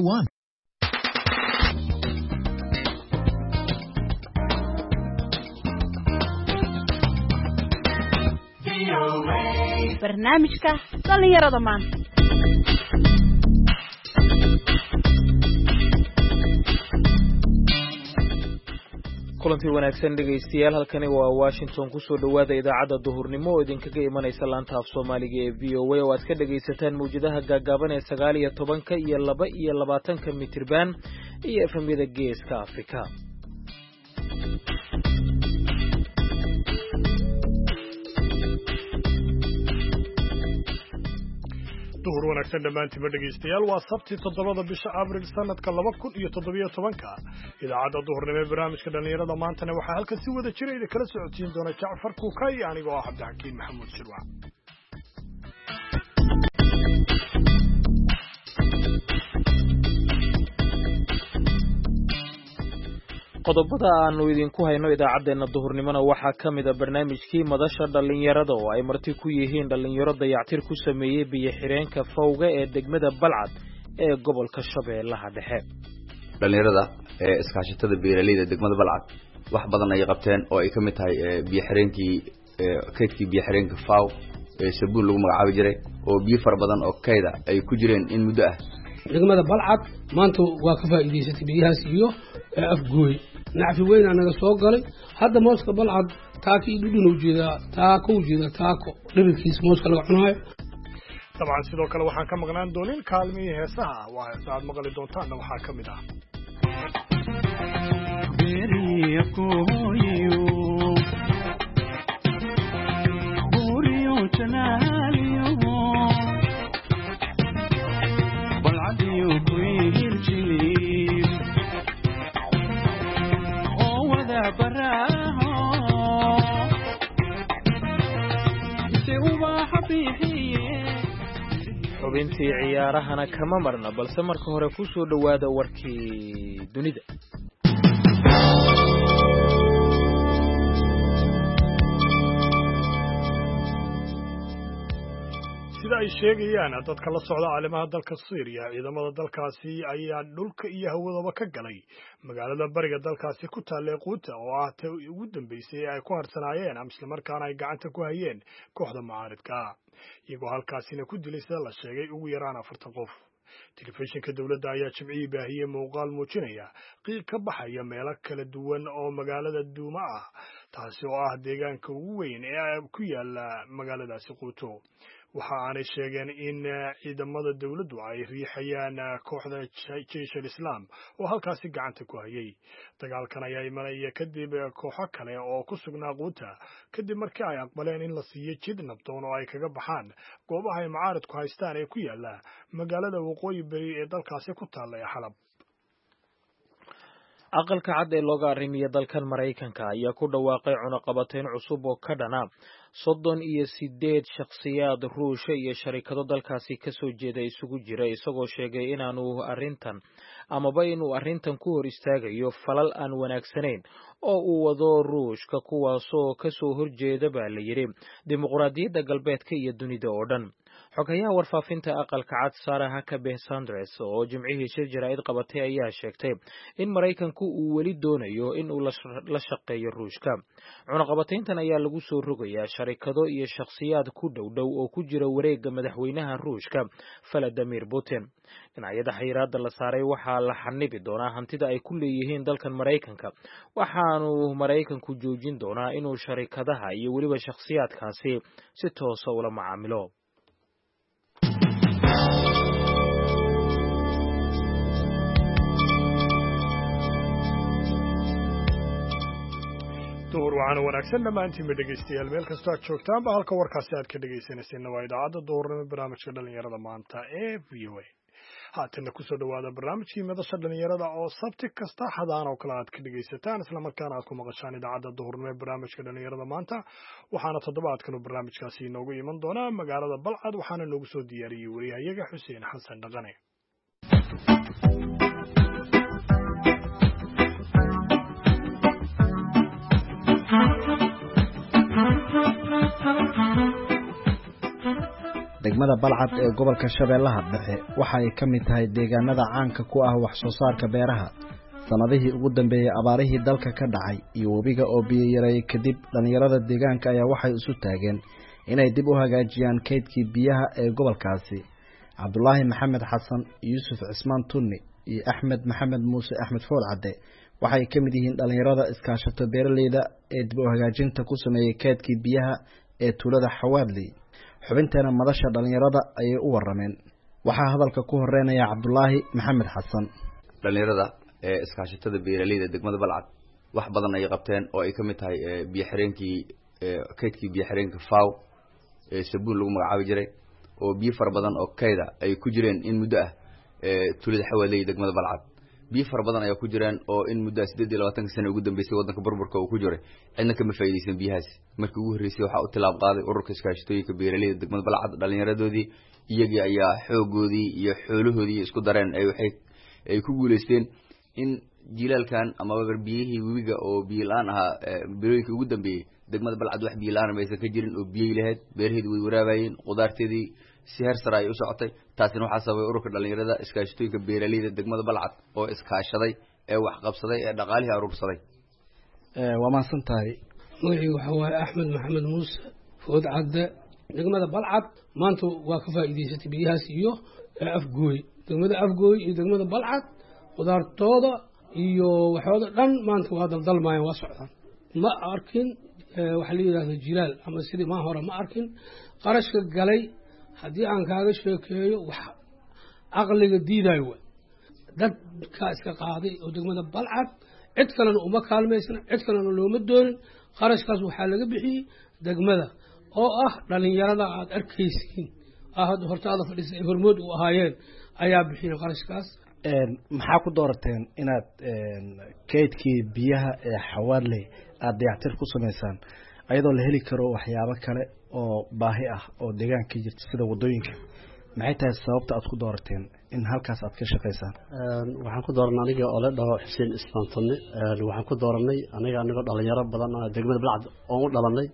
One. Barnaamijka dhallinyarada maanta. Kulanti wanaagsan, dhegaystayaal. Halkani waa Washington. Kusoo dhowaada idaacadda duhurnimo oo idinkaga imanaysa laanta af Soomaaliga ee VOA, oo aad ka dhegaysataan mawjadaha gaagaaban ee 19-ka iyo 22-ka mitirban iyo efemyada Geeska Afrika. Duhur wanaagsan dhammaantiinba, dhegaystayaal. Waa Sabti, 7-da bisha Abril, sanadka 2017-ka. Idaacadda duhurnimo ee barnaamijka dhallinyarada maantana waxaa halkan si wada jira idin kala socodsiin doona Jacfar Kuukay, anigoo ah Cabdixakiin Maxamuud Shirwac. Qodobada aanu idinku hayno idaacaddeenna duhurnimona waxaa ka mid a barnaamijkii madasha dhallinyarada, oo ay marti ku yihiin dhallinyaro dayactir ku sameeyey biyo-xireenka Fawga ee degmada Balcad ee gobolka Shabeellaha Dhexe. Dhallinyarada ee iskaashatada beeraleyda degmada Balcad wax badan ayay qabteen, oo ay ka mid tahay biyo-xireenkii, kaydkii biyo-xireenka Faw ee sabuun lagu magacaabi jiray, oo biyo fara badan oo kayda ay ku jireen in muddo ah. Degmada Balcad maanta waa ka faa'iidaysatay biyahaas iyo Afgooy. Nacfi weynaa naga soo galay. Hadda mooska Balcad taako iyo dhudhun ujeedaa, taako ujeedaa, taako dhibirkiisa mooska laga cunaayo. Dabcan sidoo kale waxaan ka maqnaan doonin kaalmihii heesaha. Waa heesa aad maqli doontaanna waxaa ka mid ah Xubintii ciyaarahana kama marna, balse marka hore ku soo dhowaada warkii dunida. Sida ay sheegayaan dadka la socda caalimaha dalka Syriya, ciidamada dalkaasi ayaa dhulka iyo hawadaba ka galay magaalada bariga dalkaasi ku taalla Quuta, oo ah ta ugu dambeysay ee ay ku harsanaayeen ama islamarkaana ay gacanta ku hayeen kooxda mucaaridka, iyagoo halkaasina ku dilay, sida la sheegay, ugu yaraan 40 qof. Telefishinka dowladda ayaa Jimcihii baahiyey muuqaal muujinaya qiiq ka baxaya meelo kala duwan oo magaalada Duuma ah, taasi oo ah deegaanka ugu weyn ee ku yaala magaaladaasi Quuto. Waxa aanay sheegeen in ciidamada dowladdu ay riixayaan kooxda Jeish al Islaam oo halkaasi gacanta ku hayay. Dagaalkan ayaa imanaya kadib kooxo kale oo ku sugnaa Quuta, kadib markii ay aqbaleen in la siiyo jid nabdoon oo ay kaga baxaan goobaha ay mucaaridku haystaan ee ku yaala magaalada waqooyi beri ee dalkaasi ku taalla ee Xalab. Aqalka Cad ee looga arrimiya dalkan Maraykanka ayaa ku dhawaaqay cunaqabatayn cusub oo ka dhana 38 shakhsiyaad Ruusha iyo sharikado dalkaasi ka soo jeeda isugu jira, isagoo sheegay inaanu arrintan amaba inuu arrintan ku hor istaagayo falal aan wanaagsanayn oo uu wado Ruushka, kuwaasoo ka soo horjeeda, baa la yidhi, dimuqraadiyadda galbeedka iyo dunida oo dhan. Xogayaha warfaafinta Aqalka Cad, Sarah Huckabee Sanders, oo Jimcihii shir jaraa'id qabatay, ayaa sheegtay in Maraykanku uu weli doonayo in uu la shaqeeyo Ruushka. Cunaqabatayntan ayaa lagu soo rogayaa sharikado iyo shakhsiyaad ku dhowdhow oo ku jira wareegga madaxweynaha Ruushka Valadimir Putin. Dhinacyada xayiraadda la saaray waxaa la xanibi doonaa hantida ay ku leeyihiin dalkan Maraykanka, waxaanu Maraykanku joojin doonaa inuu sharikadaha iyo weliba shakhsiyaadkaasi si toosa ula macaamilo. Duhur waxaana wanaagsan dhammaantiinba, dhegaystayaal, meel kastoo aad joogtaanba. Halka warkaasi aad ka dhegaysanayseena waa idaacadda duhurnimo barnaamijka dhallinyarada maanta ee VOA. Haatanna kusoo dhowaada barnaamijkii madasha dhallinyarada, oo Sabti kasta xadaan oo kale aad ka dhegaysataan islamarkaana aad ku maqashaan idaacadda duhurnimo ee barnaamijka dhallinyarada maanta. Waxaana toddobaadkan uu barnaamijkaasi inoogu iman doonaa magaalada Balcad, waxaana noogu soo diyaariyey wariyahayaga Xuseen Xasan Dhaqane. Degmada Balcad ee gobolka Shabeellaha Dhexe waxa ay ka mid tahay deegaanada caanka ku ah wax soo saarka beeraha. Sanadihii ugu dambeeyay abaarihii dalka ka dhacay iyo webiga oo biyo yareeyay kadib, dhalinyarada deegaanka ayaa waxay isu taageen inay dib u hagaajiyaan kaydkii biyaha ee gobolkaasi. Cabdulaahi Maxamed Xasan, Yuusuf Cismaan Tunni iyo Axmed Maxamed Muuse Axmed Fool Cadde waxay ka mid yihiin dhalinyarada iskaashato beeraleyda ee dib u hagaajinta ku sameeyey kaydkii biyaha ee tuulada Xawaadley. Xubinteena madasha dhalinyarada ayay u warameen. Waxaa hadalka ku horeynaya Cabdulaahi Maxamed Xasan. Dhalinyarada ee iskaashatada beeraleyda degmada Balcad wax badan ay qabteen oo ay ka mid tahay biyo xireenkii, kaydkii biyo xireenka Faw ee sabuun lagu magacaabi jiray, oo biyo fara badan oo kayda ay ku jireen in muddo ah. Tuulada Xawaadley degmada Balcad biyo fara badan ayaa ku jireen oo in muddo 28-ka sano ugu dambeysay waddanka burburka uu ku jiray cidna kama faa'iidaysan biyahaas. Markii ugu horreysay waxaa u tilaab qaaday ururka iskaashatooyinka beeraleyda degmada Balcad. Dhallinyaradoodii iyagii ayaa xoogoodii iyo xoolahoodii isku dareen ay waxay ay ku guuleysteen in jilaalkan amaba biyihii webiga oo biyo la-aan ahaa bilooyinkii ugu dambeeyey degmada Balcad wax biyo la-aan maysan ka jirin oo biyey lahayd, beeraheedi way waraabayeen, qudaarteedii si heer sare ay u socotay. Taasina waxaa sababay ururka dhalinyarada iskaashatooyinka beeraleyda degmada Balcad oo iskaashaday ee wax qabsaday ee dhaqaalihii aruursaday. Waa mahadsan tahay. Magacii waxaa waaye Axmed Maxamed Muuse Food Cadde. Degmada Balcad maanta waa ka faa'iidaysatay biyahaas iyo Afgooy. Degmada Afgooy iyo degmada Balcad qudaartooda iyo waxooda dhan maanta waa daldalmaayeen, waa socdaan. Ma arkin waxaa la yidhahda jilaal ama sidii maa hore ma arkin. Qarashka galay haddii aan kaaga sheekeeyo wax caqliga diidayo wa dadkaa iska qaaday oo degmada Balcad, cid kalena uma kaalmaysna, cid kalena looma doonin. Qarashkaas waxaa laga bixiyey degmada oo ah dhalinyarada aada arkaysiin hadda hortaada fadhiisa ay hormood u ahaayeen ayaa bixiyeen qarashkaas. Maxaa ku doorateen inaad kaydkii biyaha ee Xawaadley aada dayactir ku samaysaan, ayadoo la heli karo waxyaabo kale oo baahi ah oo deegaanka jirta sida waddooyinka? Maxay tahay sababta aad ku doorateen in halkaas aad ka shaqaysaan? Waxaan ku dooranay aniga oo la dhaho Xuseen Ismaan Tunni. Waxaan ku dooranay aniga anigoo dhalinyaro badan degmada Balcad oon u dhalanay,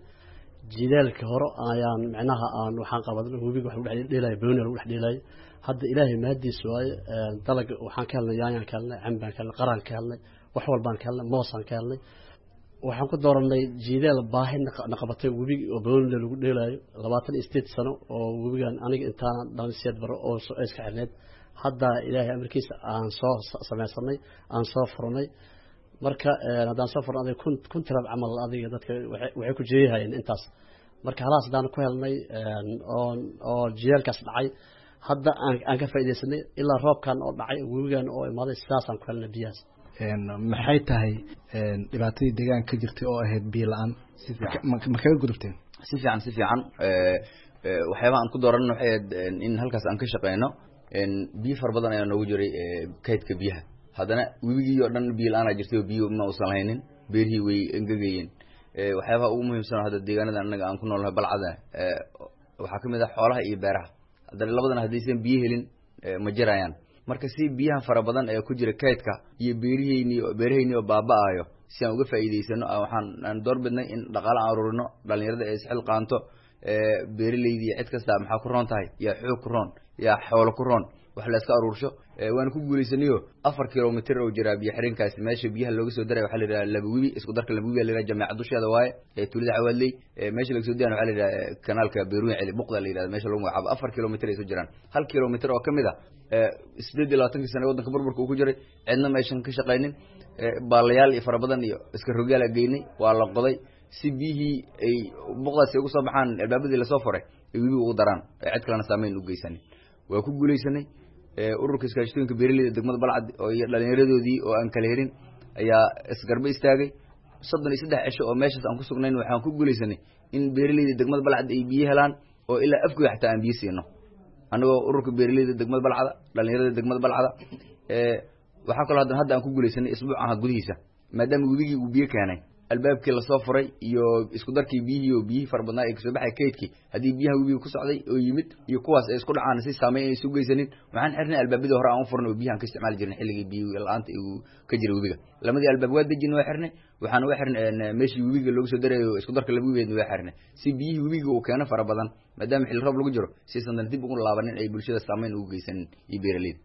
jidaalka hore ayaan micnaha aan waxaan qabadan webiga wax lagu dhex dheelay, booni lagu dhex dheelay. Hadda Ilaahay mahadiis waaye, dalag waxaan ka helnay, yaanyaan ka helnay, cambaan ka helnay, qaraan ka helnay, wax walbaan ka helnay, moosaan ka helnay. Waxaan ku dooranay jiidaal baahi naqabatay webiga oo boonile lagu dheelaayo 28 sano oo webigan aniga intaana dhalin sideed baro oo iska xirneyd. Hadda Ilaahay amarkiisa aan soo samaysanay, aan soo furnay. Marka haddaan soo furnay adiga 1000 tiraab camal adiga dadka waxay ku jeeyahayeen intaas. Marka halaas haddaan ku helnay oo jiidaalkaas dhacay hadda aan ka faa'iidaysanay ilaa roobkan oo dhacay webigan oo imaaday, sidaasaan ku helnay biyahaas. Maxay tahay dhibaatadii deegaanka ka jirtay oo ahayd biyo la-aan, ma kaga gudubteen? Si fiican, si fiican. Waxyaabaha aan ku dooranno waxay ahayd in halkaas aan ka shaqeyno. Biyo fara badan ayaa noogu jiray kaydka biyaha, haddana webigii oo dhan biyo la-aanaa jirtay oo biyo ma uusan lahaynin, beerihii way engegayeen. Waxyaabaha ugu muhiimsan hadda deegaanada annaga aan ku noolnahay Balcada waxaa kamid ah xoolaha iyo beeraha. Haddana labadan haddaysan biyo helin ma jirayaan. Marka si biyahan fara badan ee ku jira kaydka iyo beeriheyni beeraheyni oo baaba-ayo si aan uga faa'iidaysano, waxaan aan door bidnay in dhaqaale aan ururino, dhalinyarada ee isxil qaanto, beeraleydi iyo cid kasta maxaa ku roon tahay, yaa xoog ku roon, yaa xoolo ku roon, wax la iska aruursho. Waana ku guulaysanayo. 4 kilomitr oo jiraa biyo xireenkaasi meesha biyaha looga soo daray waxaa la yidhaha Laba Webi, isku darka Laba Webi la yidhaha, jameeca dusheeda waaye ee tuulada Xawaadley. Meesha laga soo dayana waxaa la yidhaha kanaalka Beerweyn Celi Buqda la yidhahda meesha lagu magacaabo. 4 kilomitr ay soo jiraan, 1 kilomitr oo kamid ah 28-kii sano waddanka burburka uu ku jiray cidna meeshan ka shaqaynin. Baalayaal iyo fara badan iyo iska rogyaal a geynay, waa la qoday si biyihii ay buqdaasi uga soo baxaan albaabadii lasoo furay ay webiga ugu daraan ee cid kalena saameyn u geysanin. Waa ku guulaysanay. Ururka iskaashatooyinka beeraleyda degmada Balcad oo iyo dhalinyaradoodii oo aan kala helin ayaa isgarba istaagay. 33 cisho oo meeshaas aan ku sugnayn waxaan ku guulaysanay in beeraleyda degmada Balcad ay biyo helaan oo ilaa Afgoy xataa aan biyo siino, annagoo ururka beeraleyda degmada Balcada, dhalinyarada degmada Balcada. Waxaa kaloo haddana hadda aan ku guulaysanay isbuuc aha gudihiisa, maadaama webigii uu biyo keenay, Albaabkii lasoo furay iyo isku darkii biyihii oo biyihii fara badnaa ee kasoo baxay kaydkii, haddii biyaha webiga ku socday oo yimid iyo kuwaas ay isku dhacaan, si saameyn ay isu geysanin, waxaan xirnay albaabadii hore aan u furnay oo biyahan ka isticmaali jirnay xilligii biyo la-aanta uu ka jiray webiga. Lamadii albaab waa dejin, waa xirnay. Waxaan uga xirnay meeshii webiga loogu soo darayo, isku darka laba webigeedna waa xirnay, si biyihii webiga uu keeno fara badan, maadaama xilli roob lagu jiro, si aysan dib ugu laabanin, ay bulshada saameyn ugu geysanin iyo beeraleyda.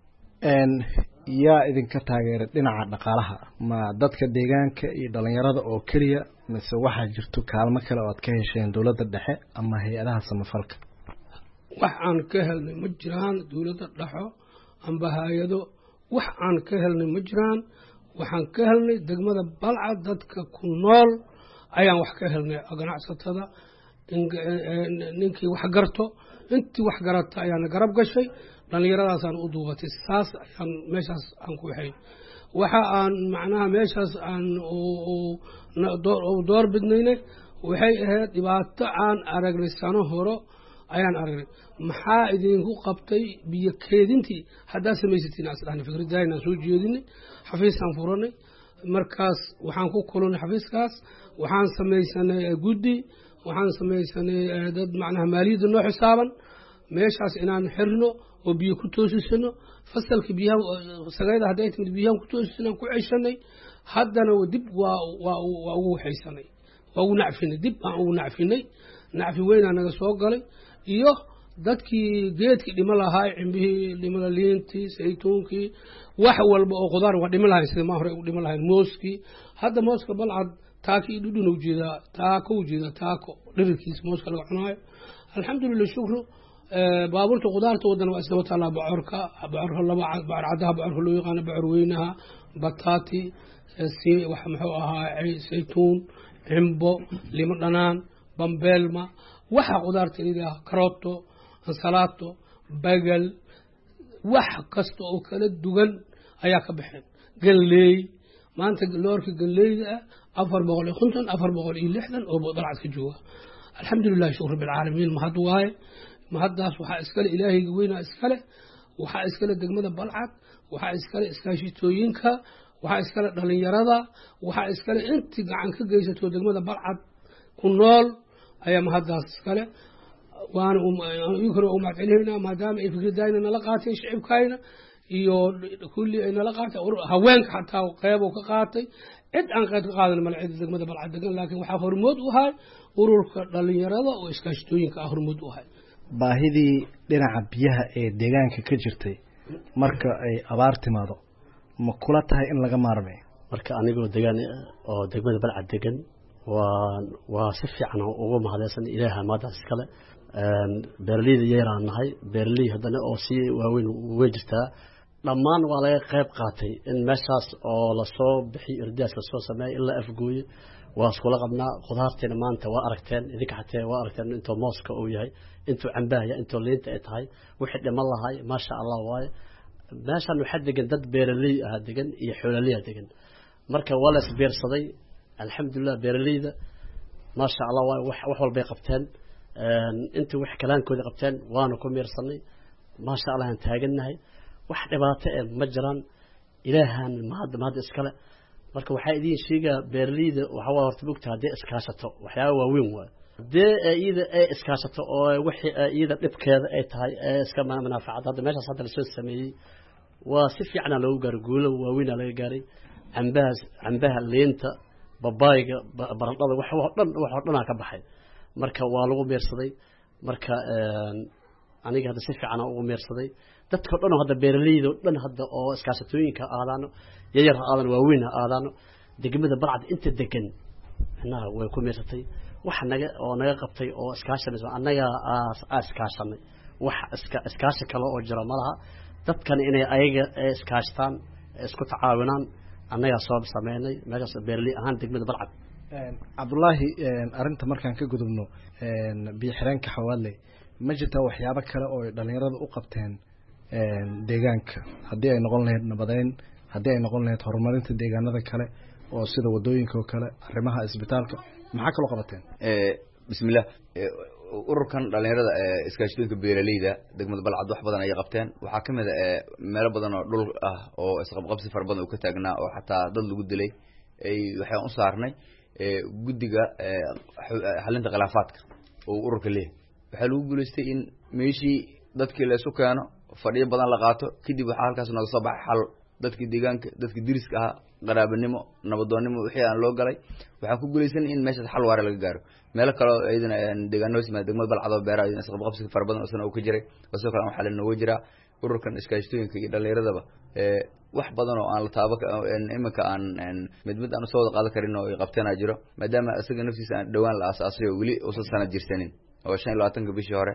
Yaa idinka taageeray dhinaca dhaqaalaha? Ma dadka deegaanka iyo dhalinyarada oo keliya, mise waxaa jirto kaalmo kale oo aad ka hesheen dowladda dhexe ama hay-adaha samafalka? Wax aan ka helnay ma jiraan. Dowladda dhexo amba hay-ado wax aan ka helnay ma jiraan. Waxaan ka helnay degmada Balcad dadka ku nool ayaan wax ka helnay, ganacsatada, ninkii wax garto, intii wax garata ayaana garab gashay, dhallinyaradaasaan u duubatay. Saas ayaan meeshaas aan ku waxayn. Waxa aan macnaha meeshaas aan door bidnaynay waxay ahayd dhibaato aan aragnay sano horo ayaan aragnay. Maxaa idinku qabtay biyo keedintii haddaad samaysatiin asdhahna fikraddaynaan soo jeedinay, xafiisaan furanay. Markaas waxaan ku kulunay xafiiskaas, waxaan samaysanay guddi, waxaan samaysanay dad macnaha maaliyadda noo xisaaban, meeshaas inaan xirno oo biyo ku toosisano fasalka biyaha sagayda hadday timid, biyahan ku toosisanaan ku ceshanay. Haddana dib waa ugu waxaysanay, waa ugu nacfinay, dib aan ugu nacfinay. Nacfi weynaa naga soo galay iyo dadkii geedkii dhimo lahaa, cimbihii dhimada, liintii, saytuunkii, wax walba oo qudaar waa dhimo lahayn sida maa hore u dhimo lahayn. Mooskii hadda mooska Balcad taaki iyo dhudhun ujeedaa, taako ujeedaa, taako dhirirkiisa mooska laga cunaayo. Alxamdulillah, shukru. Baabuurta qudaarta wadana waa isdaba taallaa: bocorka, bocorka laba, bocor caddaha, bocorka loo yaqaano bocor weynaha, bataati, si wax muxuu ahaa, saytuun, cimbo, limo dhanaan, bambeelma, waxa qudaarta layidhaha, karooto, ansalaato, bagal, wax kasta oo kala duwan ayaa ka baxeen. Galleey maanta loorka galleyda ah 450, 460 oo Balcad ka jooga. Alxamdulilahi, shukr rabbilcaalamiin. Mahad waaye, mahaddaas waxaa iskale Ilaahayga weynaa iskale, waxaa iskale degmada Balcad, waxaa iskale iskaashitooyinka, waxaa iskale dhalinyarada, waxaa iskale intii gacan ka geysato degmada Balcad ku nool ayaa mahaddaas iskale. Waana iyankana waa u mahad celinaynaa maadaama ay fikradayna nala qaateen, shicibkayna iyo kulli ay nala qaatay, haweenka xataa qeyb ka qaatay. Cid aan qayb ka qaadan male cid degmada Balcad degan, laakiin waxaa hormood u ahay ururka dhalinyarada oo iskaashatooyinka ah hormood u ahay. Baahidii dhinaca biyaha ee deegaanka ka jirtay marka ay abaar timaado, ma kula tahay in laga maarmay? Marka anigoo degaan oo degmada Balcad degan, waa si fiican ugu mahadeysan Ilaaha maadaas iskale. Beeraleyda yaraan nahay, beeraley haddana oo si waaweyn way jirtaa. Dhammaan waa laga qayb qaatay in meeshaas oo lasoo bixiyo, irdaas lasoo sameeyo ilaa Afgooye waa iskula qabnaa. Khudaartiina maanta waa aragteen idinka, xatee waa aragteen intuu mooska uu yahay, intuu cambaha yahay, intuu liinta ay tahay, wixii dhiman lahay. Maasha Allah waaye. Meeshan waxaa degan dad beeraley ah degan iyo xoololey ah degan, marka waa la isbiirsaday. Alxamdulilah, beeraleyda maasha Allah waaye, wax walbay qabteen, intii wax kalaankooda qabteen waana ku miirsanay. Maasha Allah aan taagannahay, wax dhibaato eh ma jiraan. Ilaahan mahad iskale. Marka waxaa idiin sheegaa beeraleyda waxa waa horta mogta haddii iskaashato waxyaaba waaweyn waaye. Haddii iyada ay iskaashato oo wixii iyada dhibkeeda ay tahay ee iska munaafacad, hadda meeshaas hadda lasoo sameeyey waa si fiicana loogu gaaray, guulo waaweynaa laga gaaray. Cambahaas, cambaha, liinta, babaayga, baradhada, wax oo dhan, wax oo dhanaa ka baxay. Marka waa lagu meersaday. Marka aniga hadda si fiican ugu meersaday dadka dhan oo hadda beeraleyda oo dhan hadda oo iskaashatooyinka ha aadaano, yaryar ha aadaano, waaweyn ha aadaano, degmada Balcad inta degan macnaha way ku meersatay. Wax naga oo naga qabtay oo iskaashanayso annaga aa iskaashanay, wax iska iskaashi kale oo jira malaha. Dadkan inay ayaga iskaashtaan, isku tacaawinaan, annagaa soo sameynay meeshaas beeraley ahaan degmada Balcad. Cabdullaahi, arrinta markaan ka gudubno biyo xireenka Xawaadley, ma jirtaa waxyaabo kale oo ay dhalinyarada u qabteen deegaanka, haddii ay noqon lahayd nabadeyn, haddii ay noqon lahayd horumarinta deegaanada kale oo sida wadooyinka oo kale, arrimaha isbitaalka, maxaa kaloo qabateen? Bismillah, ururkan dhalinyarada iskaashatooyinka beeraleyda degmada Balcad wax badan ayay qabteen. Waxaa kamid a meelo badan oo dhul ah oo isqabqabsi fara badan uu ka taagnaa oo xataa dad lagu dilay ay waxaan u saarnay Guddiga xalinta khilaafaadka oo ururka leeyahay waxaa lagu guulaystay in meeshii dadkii la isu keeno, fadhiyo badan la qaato. Kadib waxaa halkaas nooga soo baxay xal dadkii deegaanka, dadkii diriska ahaa, qaraabanimo, nabadoonnimo wixii aan loo galay. Waxaan ku guulaysanay in meeshaas xal waare laga gaaro. Meelo kaleo iyadana deegaano hoos yimaada degmada Balcad oo beeraha iyadana isqabqabsiga fara badan isna uu ka jiray oo sidoo kale aan xalin nooga jiraa. Ururkan iskaashatooyinka iyo dhallinyaradaba wax badan oo aan la taaba iminka aan mid mid aan usoo wada qaadan karin oo ay qabteenaa jiro, maadaama isaga naftiisa aan dhowaan la aasaasay oo weli uusan sanad jirsanin, oo 25-ka bishii hore,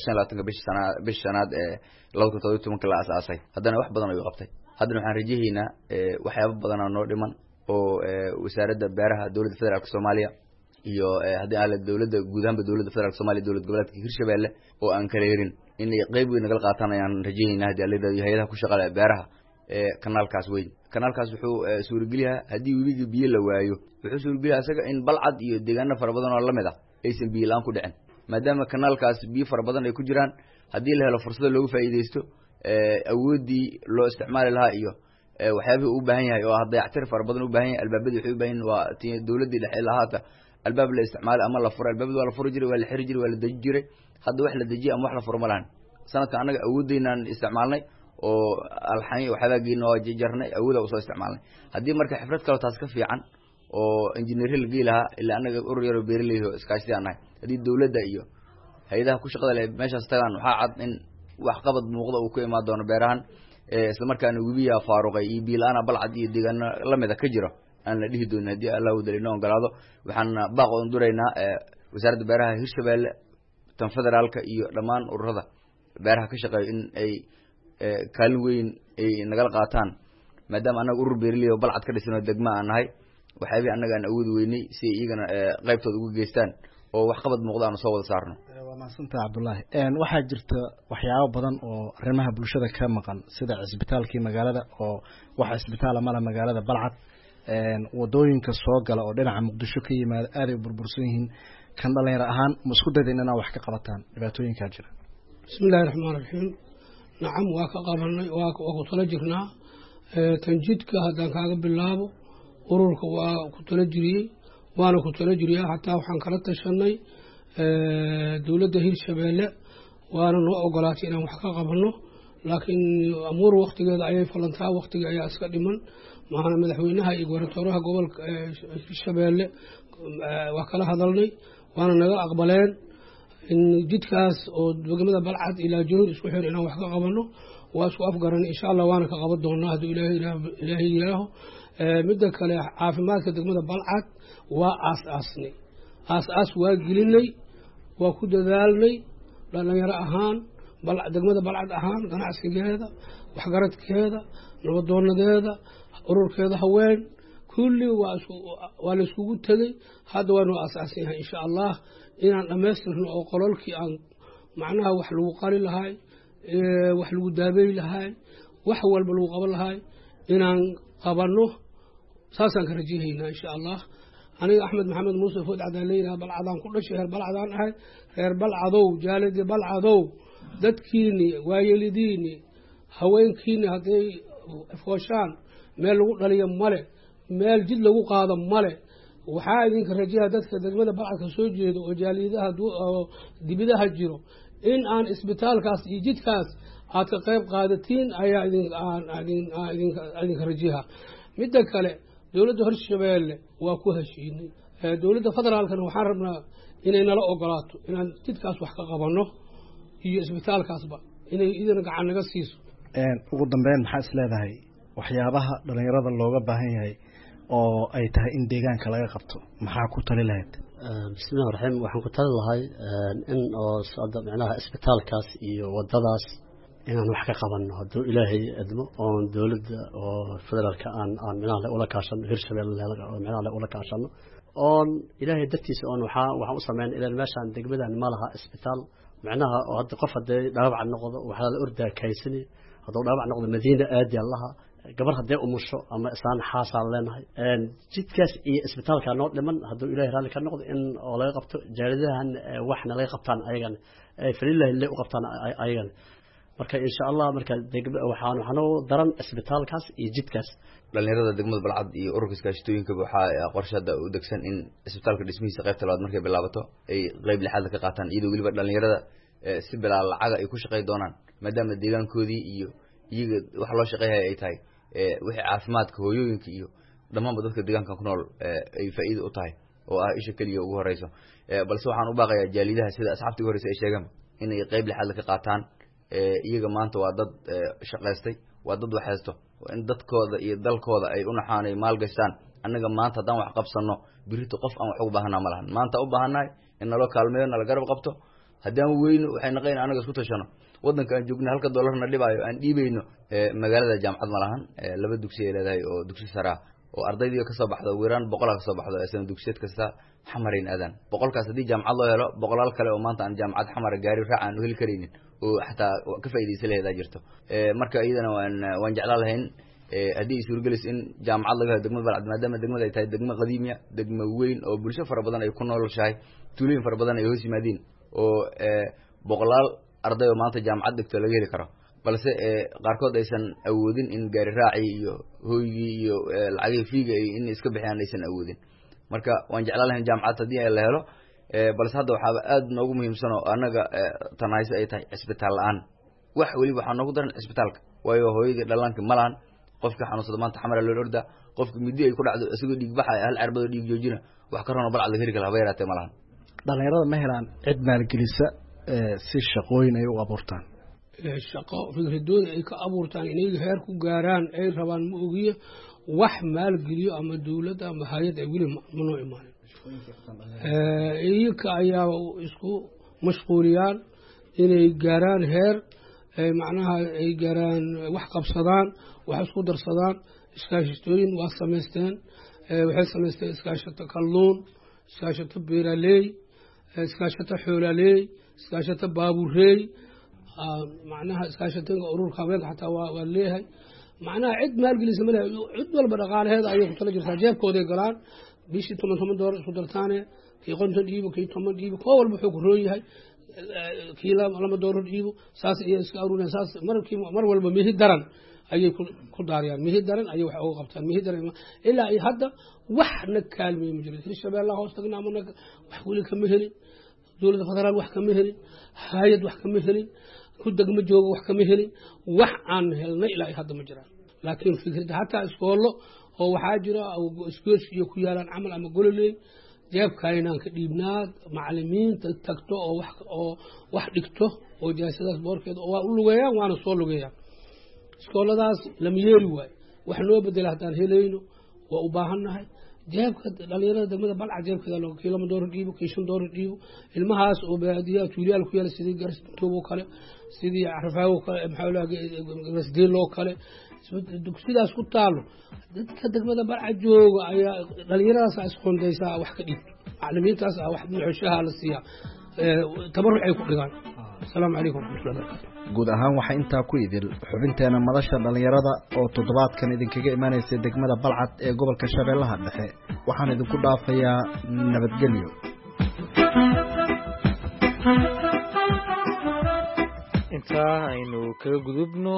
25-ka bishi sana bishi shanaad ee 2017-ka la aasaasay. Haddana wax badan ayuu qabtay. Haddana waxaan rajahaynaa waxyaaba badanaa noo dhiman oo wasaaradda beeraha dowladda federaalka Soomaaliya iyo haddii aale dowladda guud ahaanba, dowladda federaalka Somalia, dowlad goboleedka Hirshabelle oo aan kala herin inay qeyb weyn nagala qaataan ayaan rajahaynaa haddii alla yidhahdo, hay-adaha ku shaqale beeraha. Kanaalkaas weyn, kanaalkaas wuxuu suurageliyaa haddii webiga biyo la waayo, wuxuu suurageliyaa isaga in Balcad iyo deegaano fara badan oo lamid ah aysan biyo la-aan ku dhicin, maadaama kanaalkaas biyo fara badan ay ku jiraan. Haddii la helo fursado loogu faa'iidaysto, awooddii loo isticmaali lahaa iyo waxyaabihii u baahan yahay oo ah dayactir fara badan u baahan yahay, albaabadii waxay u baahan yihin waa ti dowladdii dhexe lahaata albaab la isticmaalay ama la furay. Albaabadi waa la furi jiray, waa la xiri jiray, waa la deji jiray. Hadda wax la dejiye ama wax la furo ma lahan. Sanadkan annaga awooddeynaan isticmaalnay oo alxan waxyaabaa geyna waa jarnay, awooda usoo isticmaalnay. Haddii marka xifrad kaleo taas ka fiican oo injineerya la gey lahaa, ilaa annaga urur yaroo beeraley oo iskaashadii aan nahay, haddii dowladda iyo hay-adaha ku shaqada leh meeshaas tagaan, waxaa cad in waxqabad muuqda uu ku imaan doono beerahan, isla markaana webiyaa faaruqay iyo biila-aana Balcad iyo deegaano lamida ka jiro aan la dhihi doonin haddii Allah wadal inoo ogolaado. Waxaan baaq oon duraynaa wasaaradda beeraha Hirshabelle, tan federaalka iyo dhammaan ururada beeraha ka shaqeeyo in ay kaalin weyn ay nagala qaataan, maadaama annaga urur beeraley oo Balcad ka dhisan oo degma aan nahay, waxyaabihii annaga aan awoodi weynay si ay iyagana qaybtooda uga geystaan oo waxqabad muuqda aanu soo wada saarno. Waa mahadsantaha, Cabdullaahi. Waxaa jirta waxyaabo badan oo arrimaha bulshada ka maqan, sida cisbitaalkii magaalada oo wax cisbitaala mala magaalada Balcad, wadooyinka soo gala oo dhinaca Muqdisho ka yimaada aaday u burbursan yihiin. Kan dhalinyaro ahaan ma isku dayda inaa wax ka qabataan dhibaatooyinkaa jira? Bismi illahi raxmaan raxiim. Nacam, waa ka qabanay, waa ku tala jirnaa. Tanjidka haddaan kaaga bilaabo, ururka waa ku tala jiriyey, waana ku tala jiriyaa. Xataa waxaan kala tashanay dowladda Hirshabeelle, waana noo ogolaatay inaan wax ka qabanno, laakiin amuur waktigeeda ayay falantaa, waktiga ayaa iska dhiman. Maahana madaxweynaha iyo gobartooraha gobolka Hirshabeelle waa kala hadalnay, waana naga aqbaleen in jidkaas oo degmada Balcad ilaa Junuud isku xir inaan wax ka qabanno. Waa isku afgaran, insha Allah waana ka qaban doonaa hadduu Ilaahay yiraaho. Midda kale, caafimaadka degmada Balcad waa aas aasnay, aas aas waa gelinay, waa ku dadaalnay dhalinyaro ahaan, degmada Balcad ahaan, ganacsigeeda, waxgaradkeeda, nabadoonadeeda, ururkeeda haween, kulli waa la iskugu tegey. Hadda waa noo aasaasan yahay, insha Allah inaan dhammaystirno oo qololkii aan macnaha wax lagu qali lahay, wax lagu daabey lahay, wax walba lagu qaban lahay inaan qabanno, saasaan ka rajahaynaa insha Allah. Aniga Axmed Maxamed Muuse Food Cadaan leeyahay, Balcadaan ku dhashay, reer Balcadaan ahay. Reer Balcadow, jaaladii Balcadow, dadkiini, waayelidiini, haweenkiini hadday fooshaan meel lagu dhaliyo male, meel jid lagu qaado male. Waxaa idinka rajaha dadka degmada Balcadka soo jeeda oo jaaliyadaha oo dibidaha jiro in aan isbitaalkaas iyo jidkaas aad ka qayb qaadatiin ayaa idinka rajaha. Midda kale, dowladda Hirshabeelle waa ku heshiinay, dowladda federaalkana waxaan rabnaa inay nala ogolaato inaan jidkaas wax ka qabanno iyo isbitaalkaasba inay idina gacan naga siiso. Ugu dambeyn, maxaa is leedahay waxyaabaha dhalinyarada looga baahan yahay oo ay tahay in deegaanka laga qabto? Maxaa ku tali lahayd? Bismillahi raxiim. Waxaan ku tali lahay in oo hadda micnaha isbitaalkaas iyo wadadaas inaan wax ka qabanno hadduu Ilaahay idmo, oon dowladda oo federaalka aan micnaha ula kaashano, Hirshabelle micnaha ula kaashano, oon Ilaahay dartiisa oon waxaan u sameyn ilaan meeshaan degmadan ma laha isbitaal micnaha oo hadda qof haddee dhaawac noqdo waxaa la ordaa kaysani, hadduu dhaawac noqdo Madiina aadi allaha, gabar haddee umusho ama islaan xaasaan leenahay. Jidkaas iyo isbitaalka noo dhiman hadduu Ilahay raalli ka noqdo in oo laga qabto, jaaladahan waxna laga qabtaan ayagana, falilahi le u qabtaan ayagana. Marka insha Allah marka degma waxaan u daran isbitaalkaas iyo jidkaas. Dhalinyarada degmada Balcad iyo ururka iskaashatooyinka waxaa qorshe hadda u degsan in isbitaalka dhismihiisa qaybta labaad markay bilaabato ay qayb lixaad ka qaataan, iyadoo weliba dhalinyarada si bilaa lacaga ay ku shaqey doonaan, maadaama deegaankoodii iyo iyaga wax loo shaqeyhaya ay tahay wixii caafimaadka hooyooyinka iyo dhammaanba dadka deegaankan ku nool ay faa'iida u tahay oo ah isha keliya ugu horeyso. Balse waxaan u baaqayaa jaalidaha sida asxaabta ugu horeysa ay sheegaan inay qayb lixaad ka qaataan. Iyaga maanta waa dad shaqaystay, waa dad wax haysto, in dadkooda iyo dalkooda ay u naxaanay maal gashtaan. Annaga maanta haddaan wax qabsano birito qof aan wax ugu baahanaa ma lahan. Maanta u baahannahay in naloo kaalmeeyo, nala garab qabto. Haddaan weyno waxay naqayn annaga isku tashano. Waddanka aan joogno halka doolarna dhibaayo aan dhiibayno. Magaalada jaamacad ma lahan, laba dugsi ay leedahay oo dugsi sare ah oo ardaydii kasoo baxdo wiiraan 100 kasoo baxdo sana dugsiyeed kasta xamarayn aadaan. 100kaas haddii jaamacad loo helo, boqolaal kale oo maanta aan jaamacad xamara gaari raac aan u heli karaynin oo xataa ka faa'iidaysan laheedaa jirto. Marka iyadana waan jeclaan lahayn haddii ay suuragelis in jaamacad laga helo degmada Balcad, maadaama degmada ay tahay degmo qadiimiya, degmo weyn oo bulsho fara badan ay ku noolshahay, tuulooyin fara badan ay hoos yimaadiin oo boqolaal arday oo maanta jaamacad dhigto laga heli karo, balse qaarkood aysan awoodin in gaari raacii iyo hooygii iyo lacagihii fiiga in iska bixiyaan aysan awoodin. Marka waan jeclaan lahayn jaamacad haddii la helo, balse hadda waxaaba aad noogu muhiimsan oo annaga tanahayse ay tahay cisbitaal la-aan. Wax weliba waxaa noogu daran cisbitaalka, waayo hooyadii dhallaanka ma lahan. Qofka xanuunsada maanta xamara loo ordaa, qofka muddi ay ku dhacdo isagoo dhiig baxaya hal carbadoo dhiig joojina wax ka rono Balcad laga heli kala haba yaraatee ma lahan. Dhalinyarada ma helaan cid maalgelisa si shaqooyin ay u abuurtaan? Shaqo fikradooda ay ka abuurtaan inay heer ku gaaraan ay rabaan ma ogiye, wax maalgeliyo ama dowladda ama hay-ad ay weli ma noo imaanin. Iyaga ayaa isku mashquuliyaan inay gaaraan heer, macnaha ay gaaraan wax qabsadaan, wax isku darsadaan. Iskaashatooyin waa samaysteen, waxay samaysteen iskaashato kalluun, iskaashato beeraleey, iskaashato xoolaleey, iskaashato baabureey, macnaha iskaashatooyinka ururka haweenka xataa waa leeyahay. Macnaha cid maalgelisa ma lehay, cid walba dhaqaalaheeda ayay ku tala jirtaa, jeebkooday galaan. Bishii 10 10 doolar isku dartaane, kii 50 dhiibo, kii 10 dhiibo, koo walba wuxuu ku roon yahay kii 2 doolar dhiibo, saas ayay iska aruuriyaan. Saas markii mar walba mihi daran ayay ku daariyaan, mihi daran ayay wax uga qabtaan, mihi daran. Ilaa ay hadda wax na kaalmeeye ma jiro. Hirshabeellaha hoos tagna ama wax weli kama helin, dowladda federaal wax kama helin, hay-ad wax kama helin, ku degma jooga wax kama helin. Wax aan helnay ilaa ay hadda ma jiraan. Laakiin fikradda hataa iskoollo oo waxaa jira isgoos iyo ku yaalaan camal ama gololey, jeebkaynaan ka dhiibnaa macalimiinta tagto oo wax oo wax dhigto oo jaasadaas boorkeeda waa u lugeeyaan, waana soo lugeeyaan. Iskooladaas lama yeeri waayo, wax noo bedela haddaan helayno waa u baahannahay. Jeebka dhalinyarada degmada Balcad jeebkeeda loo kii 2 doolar dhiibo, kii 5 doolar dhiibo, ilmahaas oo baadiyaha tuuliyaal ku yaala sidii Garsintoob oo kale, sidii Carfaago kale, maxaa Garasdeel oo kale, dugsidaas ku taalo dadka degmada Balcad jooga ayaa dhalinyaradaas isqondaysaa wax ka dhiibto, macalimiintaas wax muxushaha la siiyaa, tabaruc ay ku dhigaan. Asalaamu calaykum waraxmatullahi barakatu. Guud ahaan waxaa intaa ku idil xubinteena madasha dhalinyarada oo toddobaadkan idinkaga imaanaysa degmada Balcad ee gobolka Shabeellaha Dhexe. Waxaan idinku dhaafayaa nabadgelyo. Intaa aynu kaga gudubno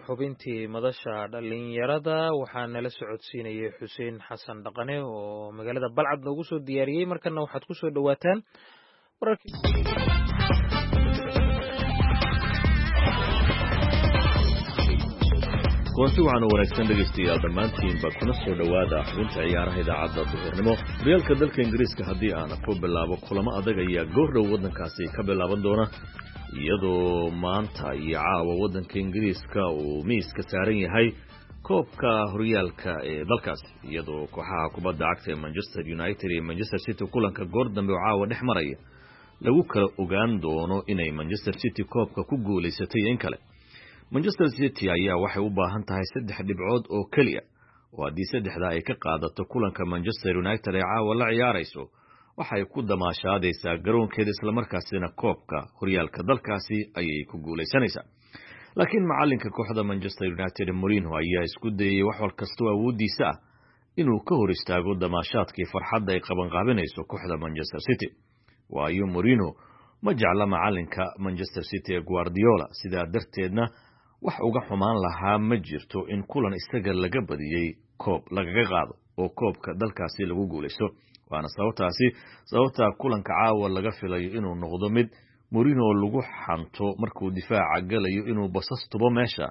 xubintii madasha dhalinyarada, waxaa nala socodsiinayay Xuseen Xasan Dhaqane oo magaalada Balcad noogu soo diyaariyey. Markana waxaad ku soo dhowaataan wararkii. Kulanti waxaana wanaagsan dhegaystayaal dhammaantiinba, kuna soo dhowaada xubinta ciyaaraha idaacadda duhurnimo. Horyaalka dalka Ingiriiska haddii aan ku bilaabo, kulamo adag ayaa goordhow waddankaasi ka bilaaban doona, iyadoo maanta iyo caawa waddanka Ingiriiska uu miiska saaran yahay koobka horyaalka ee dalkaasi, iyadoo kooxaha kubadda cagta ee Manchester United iyo Manchester City kulanka goor dambe oo caawa dhex maraya lagu kala ogaan doono inay Manchester City koobka ku guulaysatay iyo in kale. Manchester City ayaa waxay u baahan tahay 3 dhibcood oo keliya, oo haddii saddexda ay ka qaadato kulanka Manchester United ee caawa la ciyaarayso, waxay ku damaashaadaysaa garoonkeeda, islamarkaasina koobka horyaalka dalkaasi ayay ku guulaysanaysaa. Laakiin macalinka kooxda Manchester United Mourinho ayaa isku dayay wax wal kastoo awooddiisa ah inuu ka hor istaago damaashaadkii farxadda ay qabanqaabinayso kooxda Manchester City. Waayo Mourinho Ma jecla macalinka Manchester City ee Guardiola, sidaa darteedna wax uga xumaan lahaa ma jirto in kulan isaga laga badiyey koob lagaga qaado oo koobka dalkaasi lagu guulaysto. Waana sababtaasi sababta kulanka caawa laga filayo inuu noqdo mid Mourinho lagu xanto markuu difaaca galayo inuu basas tubo meesha,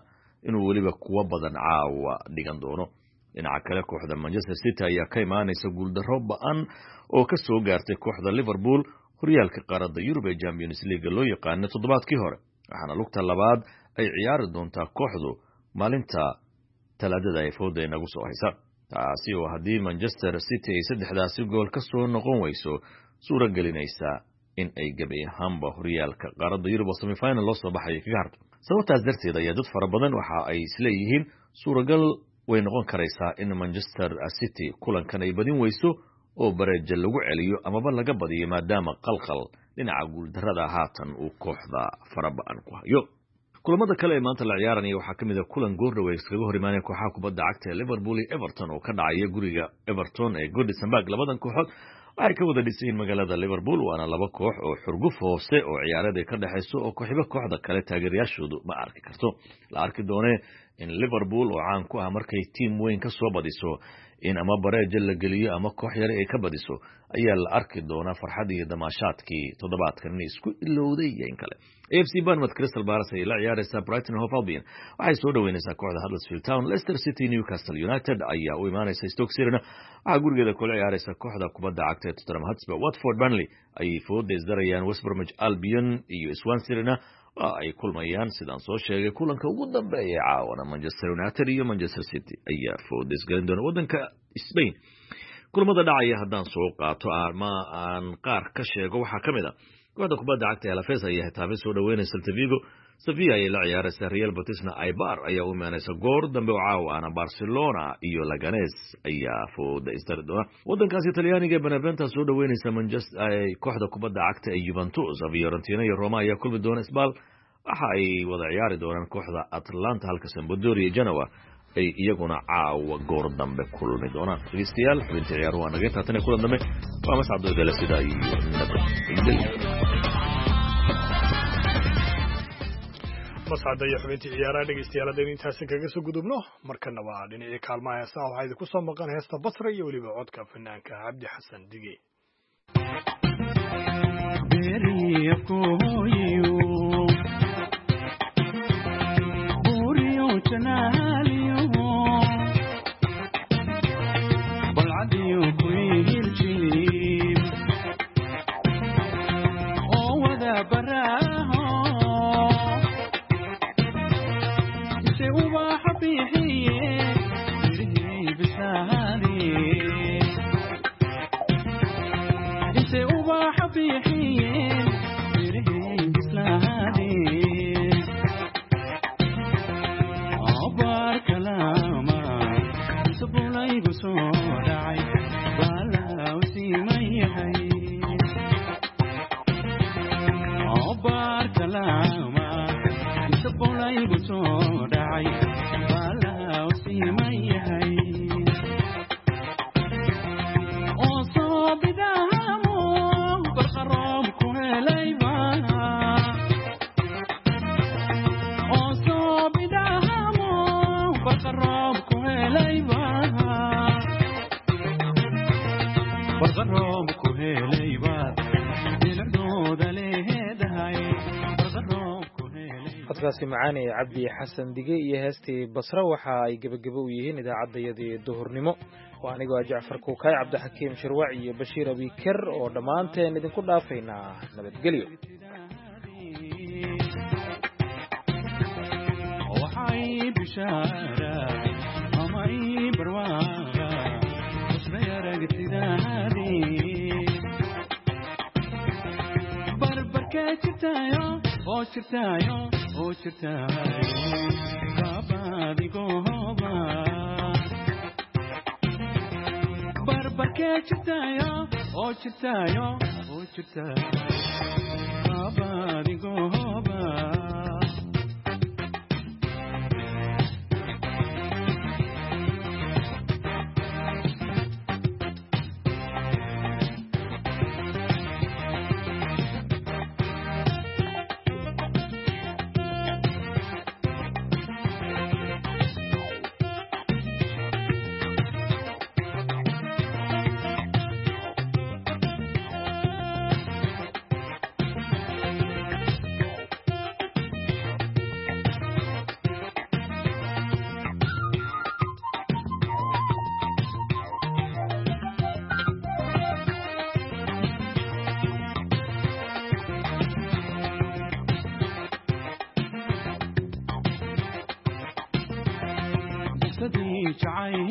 inuu weliba kuwa badan caawa dhigan doono. Dhinaca kale, kooxda Manchester City ayaa ka imaanaysa guuldarro ba-an oo ka soo gaartay kooxda Liverpool horyaalka qaaradda Yurub ee Champions League loo yaqaano toddobaadkii hore, waxaana lugta labaad ay ciyaari doontaa kooxdu maalinta Talaadada ay fooda inagu soo haysa, taasi oo haddii Manchester City ay saddexdaasi gool ka soo noqon weyso suuro gelinaysa in ay gebi ahaanba horyaalka qaaradda Yurub oo semifinal loo soo baxaya kaga harto. Sababtaas darteed ayaa dad fara badan waxa ay isleeyihiin suuragal way noqon karaysaa in Manchester City kulankan ay badin weyso oo bareeja lagu celiyo amaba laga badiyo, maadaama qalqal dhinaca guuldarrada haatan uu kooxda faraba-an ku hayo. Kulamada kale ee maanta la ciyaaranaya waxaa ka mid a kulan goordhow ay iskaga hor imaanaya kooxaha kubadda cagta ee Liverpool iyo Everton oo ka dhacaya guriga Everton ee Goodison Park. Labadan kooxood waxay ka wada dhisayiin magaalada Liverpool, waana laba koox oo xurguf hoose oo ciyaareed ay ka dhexayso oo kooxiba kooxda kale taageerayaashoodu ma arki karto. La arki doonee in Liverpool oo caan ku ah markay tiim weyn ka soo badiso in ama bareeja la geliyo ama koox yare ay ka badiso ayaa la arki doonaa farxad iyo damaashaadkii toddobaadkan inay isku ilowday iyo in kale. AFC Bournemouth Crystal Palace ayay la ciyaaraysaa. Brighton Hove Albion waxay soo dhaweynaysaa kooxda Huddersfield Town. Leicester City Newcastle United ayaa u imaanaysa. Stoke City-na waxaa gurigeeda kula ciyaaraysa kooxda kubadda cagta ee Tottenham Hotspur. Watford Burnley ayay fooda isdarayaan. West Bromwich Albion iyo Swansea waa ay kulmayaan. Sidaan soo sheegay, kulanka ugu dambeeya caawana Manchester United iyo Manchester City ayaa fooda isgelin doona. Waddanka Spain kulamada dhacaya haddaan soo qaato ama aan qaar ka sheego, waxaa ka mid a kooxda kubadda cagta ee Alaves ayaa Getafe soo dhaweynaysa. Celta Vigo Sevilla ayay la ciyaaraysaa. Real Betisna Eibar ayaa u imaanaysa. Goor dambe oo caawa ana Barcelona iyo Leganes ayaa fooda isdari doona. Waddankaasi Talyaaniga, Benevento soo dhaweynaysa Manchester kooxda kubadda cagta ee Juventus. Fiorentina iyo Roma ayaa kulmi doona. Spal waxa ay wada ciyaari doonaan kooxda Atlanta, halka Sampdoria iyo Genoa ay iyaguna caawa goor dambe kulmi doonaan. Dhegeystayaal, xubintii ciyaaruhu waa naga taatan. Kulan dambe waa Mascad Doodale, sidaa iyo nabadgelyo. Mascada iyo xubintii ciyaaraha, dhegeystayaal, haddaynu intaasi kaga soo gudubno, markana waa dhinacii kaalmaha heesaha. Waxaa idinku soo maqan heesta Basra iyo weliba codka fanaanka Cabdi Xasan Dige. Codkaasi macaanee Cabdi Xasan Dige iyo heestii Basra waxa ay gebagebo u yihiin idaacaddayadii duhurnimo. Waa anigoo ah Jacfar Kuukaay, Cabdixakiim Shirwac iyo Bashiir Abiker oo dhammaanteen idinku dhaafaynaa nabadgelyo. Barbarkee jirtaayo oo jirtaayo oo jirtaayo kaabadigooba. Jacayl.